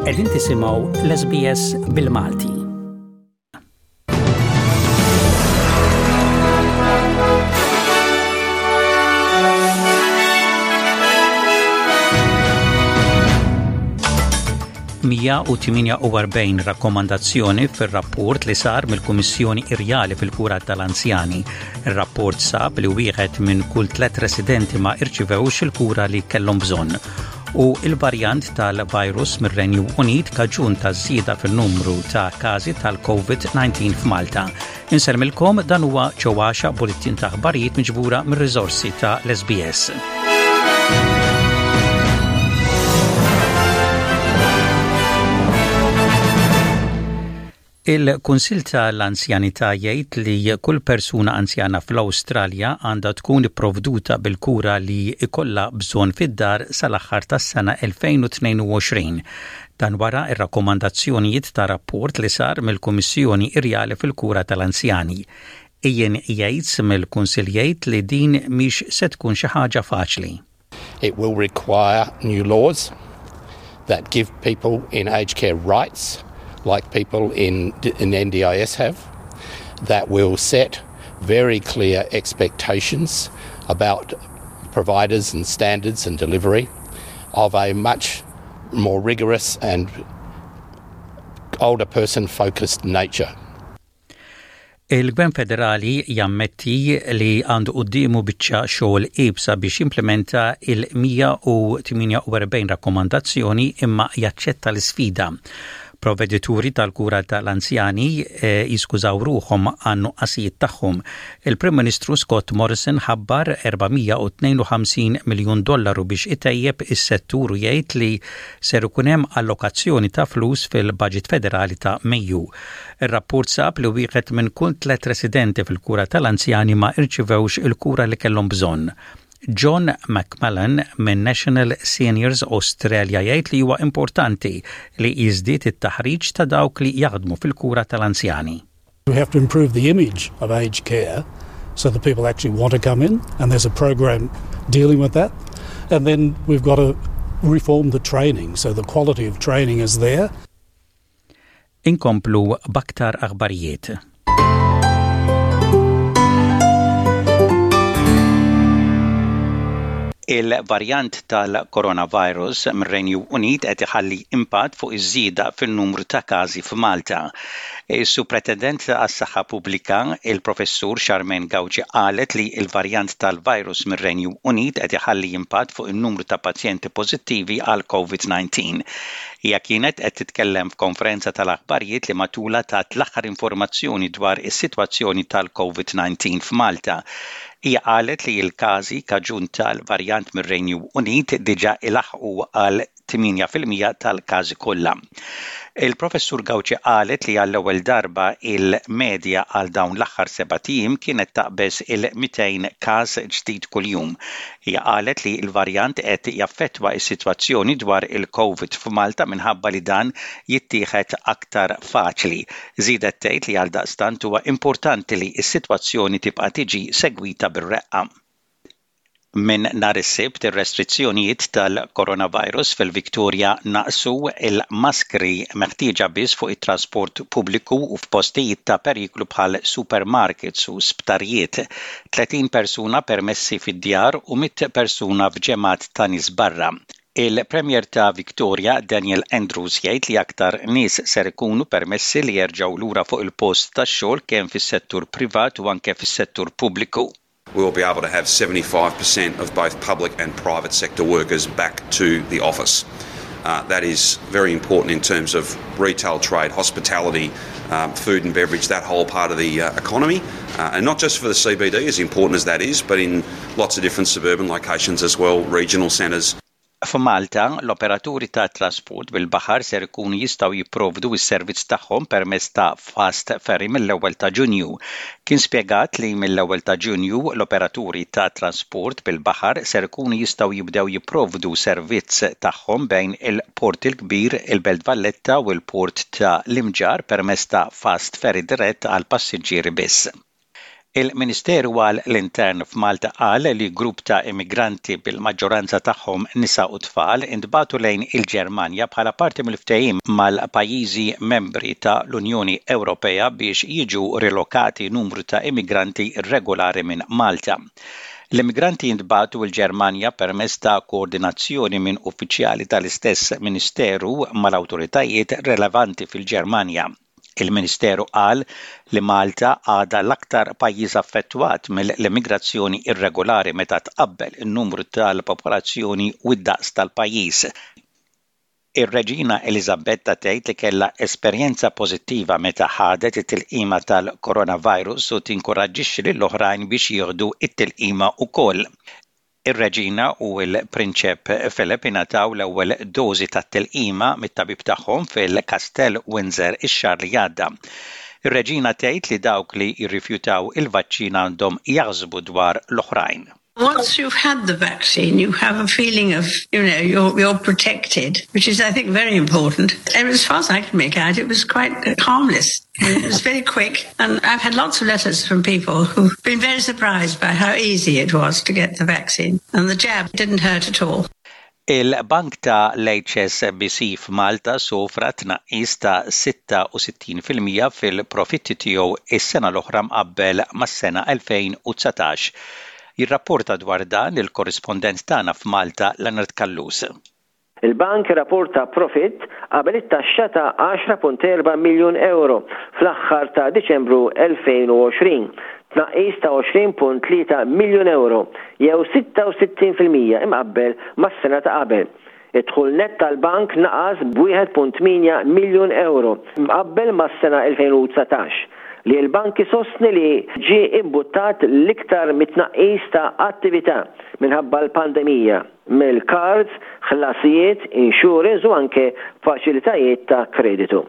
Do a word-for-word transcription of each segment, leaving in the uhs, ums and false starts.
Qegħdin tisimgħu l-S B S bil-Malti. Mija u tmienja u erbgħin rakkomandazzjoni fir-rapport li sar mill-Kummissjoni Irjali fil-Kura tal-Anzjani. Ir-rapport sab li wieħed minn kull tliet residenti ma irċivewx il-kura li kellhom bżonn. U il-varjant tal-virus mir-Renju Unit kaġun ta' żieda fil-numru ta' każi tal-COVID disa f'Malta. Insellmilkom, dan huwa ċewwaxa, bulletin ta' aħbarijiet miġbura mir-riżorsi ta' l-S B S. Il-Kunsil tal-Anzjanità jgħid li kull persuna anzjana fl-Awstralja għandha tkun ipprovduta bil-kura li ikollha bżonn fid-dar sal-aħħar tas-sena elfejn u tnejn u għoxrin. Dan wara ir-rakkomandazzjonijiet ta' rapport li sar mill-Kummissjoni Irjali fil-Kura tal-Anzjani. Ian Yates mill-Kunsil jgħid li din mhix se tkun xi ħaġa faċli. It will require new laws that give people in aged care rights like people in, in N D I S have, that will set very clear expectations about providers and standards and delivery of a much more rigorous and older person focused nature. Il-Gvern Federali jammetti li għandu quddiemu biċċa xogħol iebsa biex jimplementa il-mija u tmienja u erbgħin rakkomandazzjoni, imma jaċċetta l-sfida. Provedituri tal-kura tal-anzjani eh, jiskużaw ruħhom għan-nuqqasijiet tagħhom. Il-Prim Ministru Scott Morrison ħabbar erba' mija u tnejn u ħamsin miljun dollaru biex itejjeb is-settur u jgħid li ser ikun hemm allokazzjoni ta' flus fil-budget federali ta' Mejju. Ir-rapport sab li wieħed minn kull tliet residenti fil-kura tal-anzjani ma irċivewx il-kura li kellhom bżonn. John McMullen minn National Seniors Australia jgħid li huwa importanti li jiżdied it-taħriġ ta' dawk li jaħdmu fil-kura tal-anzjani. We have to improve the image of aged care so that people actually want to come in, and there's a program dealing with that. And then we've got to reform the training so the quality of training is there. Inkomplu b'aktar aħbarijiet. Il-varjant tal-coronavirus mir-Renju Unit qed iħalli impatt fuq iż-żieda fin-numru ta' każi f'Malta. Is-Supretendent għas-Saħħa Pubblika, il-Professur Charmaine Gauci, qalet li il-varjant tal-virus mir-Renju Unit qed iħalli impatt fuq in-numru ta' pazjenti pożittivi għal COVID disa. Hija kienet qed titkellem f'konferenza tal-aħbarijiet li matula tat l-aħħar informazzjoni dwar is-sitwazzjoni tal-COVID disa f'Malta. Hija qalet li l-każi kaġun tal-varjant mir-Renju Unit diġà ilaħqu għal tmienja fil-mija tal-każi kollha. Il-Professur Gauci qalet li għall-ewwel darba il-medja għal dawn l-aħħar sebat ijiem kienet taqbeż il-mitejn każ ġdid kuljum. Hija qalet li l-varjant qed jaffettwa s-sitwazzjoni dwar il-COVID f'Malta minħabba li dan jittieħed aktar faċli. Żiedet tgħid li għal daqstant huwa importanti li s-sitwazzjoni tibqa' tiġi segwita bir-reqqa. Minn nhar is-Sibt, ir-restrizzjonijiet tal-coronavirus fil-Viktoria naqsu, il-maskri meħtieġa biss fuq it-trasport pubbliku u f'postijiet ta' periklu bħal supermarkets u sptarijiet. tletin persuna permessi fid-djar u mitt persuna f'ġemgħat ta' nies barra. Il-Premier ta' Victoria Daniel Andrews jgħid li aktar nies ser ikunu permessi li jerġgħu lura fuq il-post tax-xogħol, kemm fis-settur privat u anke fis-settur pubbliku. We will be able to have seventy-five percent of both public and private sector workers back to the office. Uh, that is very important in terms of retail trade, hospitality, um, food and beverage, that whole part of the uh, economy. Uh, and not just for the C B D, as important as that is, but in lots of different suburban locations as well, regional centres. F'Malta, l-operaturi ta' trasport bil-baħar ser ikunu jistgħu jipprovdu s-servizz tagħhom permezz ta' fast ferry mill-ewwel ta' Ġunju. Kien spjegat li mill-ewwel ta' Ġunju l-operaturi ta' trasport bil-baħar ser ikunu jistgħu jibdew jipprovdu servizz tagħhom bejn il-Port il-Kbir, il-Belt Valletta u l-Port ta' l-Imġarr permezz ta' fast ferry dirett għal passiġġieri biss. Il-Ministeru għal l-Intern f'Malta qal li grupp ta' immigranti bil-maġġoranza tagħhom nisa u tfal intbagħtu lejn il-Ġermanja bħala parti mill-ftehim mal-pajjiżi membri ta' l-Unjoni Ewropea biex jiġu rilokati numru ta' immigranti irregolari minn Malta. L-immigranti jintbagħtu l-Ġermanja permezz ta' koordinazzjoni minn uffiċjali tal-istess Ministeru mal-awtoritajiet relevanti fil-Ġermanja. Il-Ministeru qal li Malta għadha l-aktar pajjiż affettwat mill-immigrazzjoni irregolari meta tqabbel in-numru tal-popolazzjoni u d-daqs tal-pajjiż. Ir-Reġina Eliżabetta tgħid li kellha esperjenza pożittiva meta ħadet it-tilqima tal-coronavirus u tinkoraġġixxi lill-oħrajn biex jieħdu it-tilqima wkoll. Ir-Reġina u l-Prinċep Philip ingħataw l-ewwel dożi tat-tilqima mit-tabib tagħhom fil-Kastell Windsor ix-xahar li għadda. Ir-Reġina tgħid li dawk li jirrifjutaw il-vaċċin għandhom jaħsbu dwar l-oħrajn. Once you've had the vaccine, you have a feeling of, you know, you're, you're protected, which is, I think, very important. And as far as I can make out, it was quite harmless. It was very quick. And I've had lots of letters from people who've been very surprised by how easy it was to get the vaccine. And the jab didn't hurt at all. Il-bank ta' l-H S B C f'Malta sofra tnaqqis ta' sitta u sittin fil-mija fil-profitti tiegħu is-sena l-oħra mqabbel mas-sena elfejn u dsatax. Jirrapporta dwar dan il-korrispondent tagħna f'Malta, Leonard Callus. Il-bank rapporta profitt qabel it-taxxa ta' għaxra punt erba' miljun euro fl-aħħar ta' Diċembru elfejn u għoxrin, tnaqqis ta' għoxrin punt tlieta miljun euro jew sitta u sittin fil-mija imqabbel mas-sena ta' qabel. Id-dħul net tal-bank naqas b'wieħed punt tmienja miljun euro mqabbel mas-sena elfejn u dsatax, li l-bank isostni li ġie imbuttat l-iktar mit-tnaqqis ta' attività minħabba l-pandemija mill-cards, ħlasijiet, insurance u anke faċilitajiet ta' kreditu.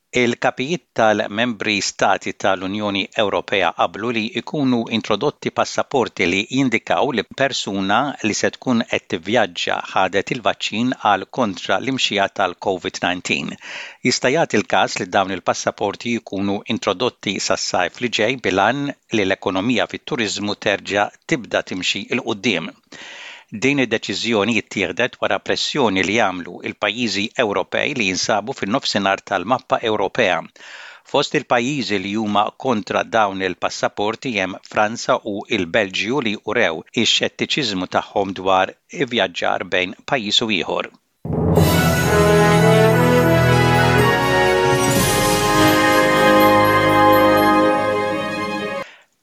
Il-kapijiet tal-membri stati tal-Unjoni Ewropea qablu li jkunu introdotti passaporti li jindikaw li persuna li se tkun qed tivvjaġġa ħadet il-vaċċin għal kontra l-imxija tal-COVID disa. Jista' jagħti l-każ li dawn il-passaporti jkunu introdotti sas-sajf li ġej bil-għan li l-ekonomija fit-turiżmu terġa' tibda timxi 'l quddiem. Din id-deċiżjoni jittieħdet wara pressjoni li għamlu il-pajjiżi Ewropej li jinsabu fin-nofsinhar tal-mappa Ewropea. Fost il-pajjiżi li huma kontra dawn il-passaporti hemm Franza u il-Belġju, li urew ix-xettiċiżmu tagħhom dwar ivvjaġġar bejn pajjiż u ieħor.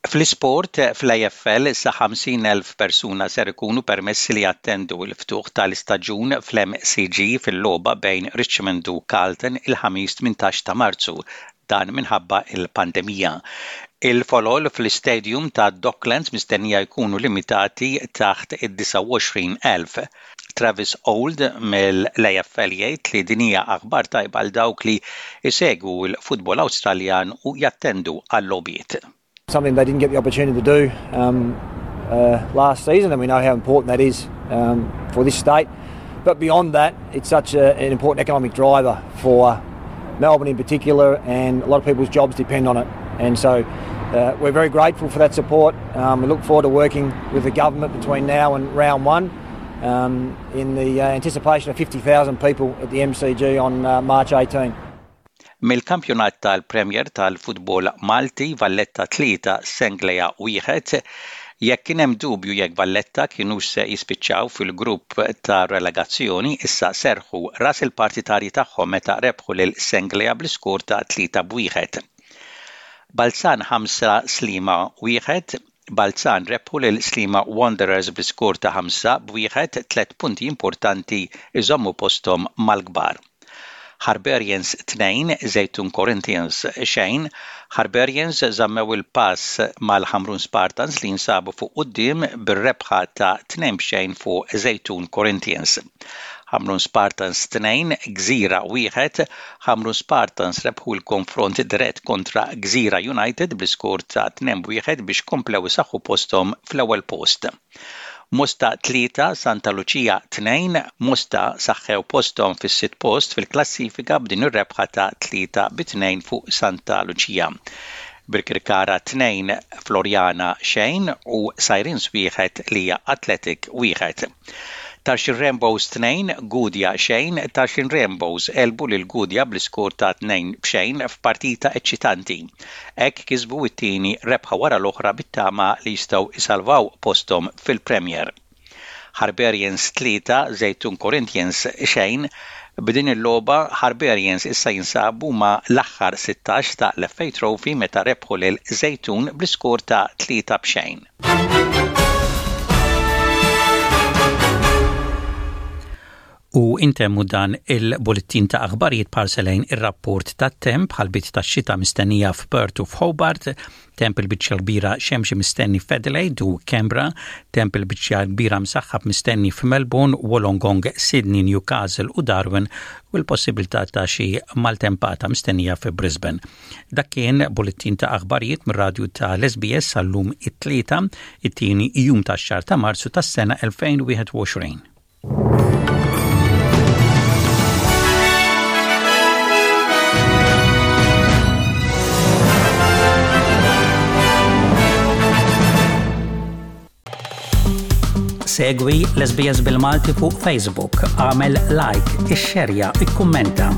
Fl-isport, fl-A F L, sa ħamsin elf persuna ser ikunu permessi li jattendu l-ftuħ tal-istaġun fl-M C G fil-logħba bejn Richmond u Carlton il-Ħamis tmintax ta' Marzu, dan minħabba il-pandemija. Il-folol fl-istadium ta' Docklands mistennija jkunu limitati taħt id-disgħa u għoxrin elf. Travis Old mill-A F L jgħid li din hija aħbar tajba għal dawk li jsegwu l-futbol Awstraljan u jattendu għal-logħbiet. Something they didn't get the opportunity to do um, uh, last season, and we know how important that is um, for this state. But beyond that, it's such a, an important economic driver for Melbourne in particular, and a lot of people's jobs depend on it. And so uh, we're very grateful for that support. Um, we look forward to working with the government between now and round one um, in the uh, anticipation of fifty thousand people at the M C G on uh, March eighteenth. Mill-kampjonat tal-Premier tal-Futbol Malti, Valletta tlieta, Senglea wieħed. Jekk kien hemm dubju jekk Valletta kienu se jispiċċaw fil-grupp ta' relegazzjoni, issa serħu ras il-partitarji tagħhom meta rebħu lil Senglea bl-iskor ta' tlieta b'wieħed. Balzan ħamsa, Sliema wieħed. Balzan rebħu lil Sliema Wanderers bl-iskor ta' ħamsa b'wieħed, tliet punti importanti iżommu posthom mal-kbar. Harbarians tnejn, Zejtun Corinthians xejn. Harbarians żammew il-pass mal-Ħamrun Spartans li jinsabu fuq quddiem bir-rebħa ta' tnejn xejn fuq Zejtun Corinthians. Ħamrun Spartans tnejn, Gżira wieħed. Ħamrun Spartans rebħu l-konfront dirett kontra Gżira United bl-iskor ta' tnejn wieħed biex komplew isaħħu posthom fl-ewwel post. Mosta tlieta, Santa Lucia tnejn. Mosta saħħew posthom fis-sitt post fil-klassifika b'din ir-rebħa ta' tlieta bi tnejn fuq Santa Lucia. Birkirkara tnejn Floriana xejn u Sirens wieħed Lija Athletic wieħed. Tarxien Rainbows tnejn, Gudja xejn, Tarxien Rainbows għelbu lil Gudja bl-iskor ta' tnejn b'xejn f'partita eċċitanti. Hekk kisbu t-tieni rebħa wara l-oħra bit-tama li jistgħu isalvaw posthom fil-Premier. Harbarians tlieta, Żejtun Corinthians xejn, b'din il-logħba Harbarians issa jinsabu ma' l-aħħar sittax ta' l-FA Trophy meta rebħu lil Żejtun bl-iskor ta' tlieta b'xejn. U intemmu dan il-bullettin ta' aħbarijiet b'ħarsa lejn ir-rapport tat-temp ħalbiet ta' xita mistennija f'Perth u f'Hobart, temp il-biċċa kbira xemxi mistenni f'Adelaide u Canberra, temp il-biċċa kbira msaħħab mistenni f'Melbourne, Wollongong, Sydney, Newcastle u Darwin u l-possibilità ta' xi maltempata mistennija fi Brisbane. Dak kien bullettin ta' aħbarijiet mir-radju ta' l-SBS għal-lum it-tlieta, it-tieni jum tax-xahar ta' Marzu tas-sena elfejn u wieħed u għoxrin. Segwi l-S B S bil-Malti fuq Facebook, għamel like, ixxerja, ikkummenta.